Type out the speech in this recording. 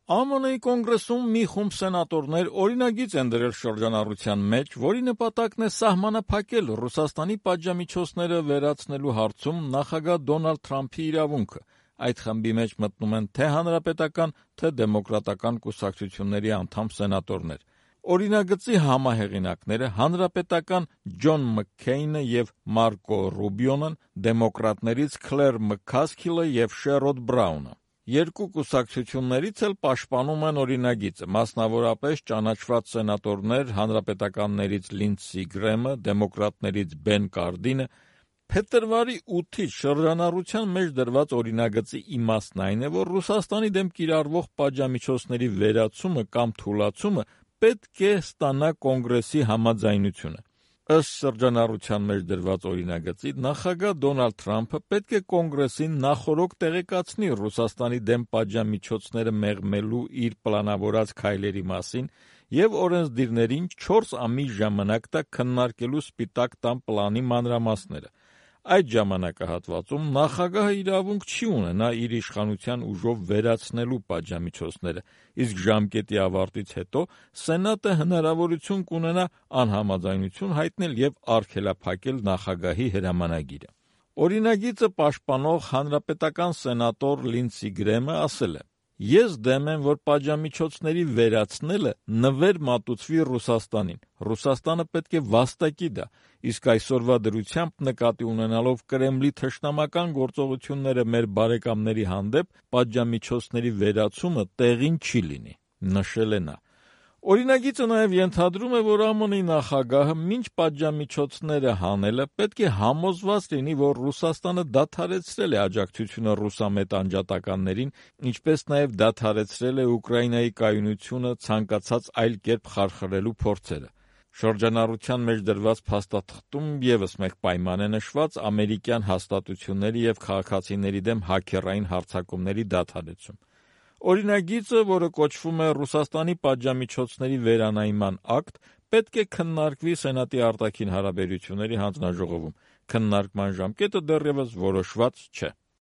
ԱՄՆ-ի կոնգրեսում մի խումբ սենատորներ օրինագիծ են դրել շրջանառության մեջ, որի նպատակն է սահմանափակել Ռուսաստանի պատժամիջոցները վերացնելու հարցում նախագահ Դոնալդ Թրամփի իրավունքը։ Այդ խմբի մեջ մտնում են թե հանրապետական, թե դեմոկրատական կուսակցությունների անդամ սենատորներ։ Օրինագծի համահեղինակները հանրապետական Ջոն Մքքեյնը և Մարկո Ռուբիոն են, դեմոկրատներից Քլեր Մքքասքիլը և Շերոդ Բրաունը։ Երկու կուսակցություններից էլ պաշտպանում են օրինագիծը, մասնավորապես ճանաչված սենատորներ հանրապետականներից Լինդսի Գրեմը, դեմոկրատներից Բեն Կարդինը։ Փետրվարի 8-ից շրջանառության մեջ դրված օրինագծի իմաստն այն է, որ Ռուսաստանի դեմ կիրառվող պատժամիջոցների վերացումը կամ թուլացումը պետք է ստանա կոնգրեսի համաձայնությունը։ Ըստ շրջանառության մեջ դրված օրինագծի, նախագահ Դոնալդ Թրամփը պետք է կոնգրեսին նախօրոք տեղեկացնի Ռուսաստանի դեմ պատժամիջոցները մեղմելու իր պլանավորած քայլերի մասին և օրենսդիրներին 4 ամիս ժամանակ տա քննարկելու Սպիտակ տան պլանի մանրամասները։ Այդ ժամանակահատվածում նախագահը իրավունք չի ունենա իր իշխանության ուժով վերացնելու պատժամիջոցները, իսկ ժամկետի ավարտից հետո Սենատը հնարավորություն կունենա անհամաձայնություն հայտնել և արգելափակել նախագահի հրամանագիրը։ Օրինագիծը պաշտպանող հանրապետական սենատոր Լինդսի Գրեմը ասել է. «Ես դեմ եմ, որ պատժամիջոցների վերացնելը նվեր մատուցվի Ռուսաստանին։ Ռուսաստանը պետք է վաստակի դա, իսկ այսօրվա դրությամբ նկատի ունենալով Կրեմլի թշնամական գործողությունները մեր բարեկամների հանդեպ, պատժամիջոցների վերացումը տեղին չի լինի», նշել է նա։ Օրինագիծը նաև ենթադրում է, որ ԱՄՆ-ի նախագահը մինչ պատժամիջոցները հանելը պետք է համոզված լինի, որ Ռուսաստանը դադարեցրել է աջակցությունը ռուսամետ անջատականներին, ինչպես նաև դադարեցրել է Ուկրաինայի կայունությունը ցանկացած այլ կերպ խարխլելու փորձերը։ Շրջանառության մեջ դրված փաստաթղթում ևս մեկ պայման է նշված ամերիկյան հաստատությունների և քաղաքացիների դեմ հաքերային հարձակումների դադարեցում։ Օրինագիծը, որը կոչվում է Ռուսաստանի պատժամիջոցների վերանայման ակտ, պետք է քննարկվի Սենատի արտաքին հարաբերությունների հանձնաժողովում։ Քննարկման ժամկետը դեռևս որոշված չէ։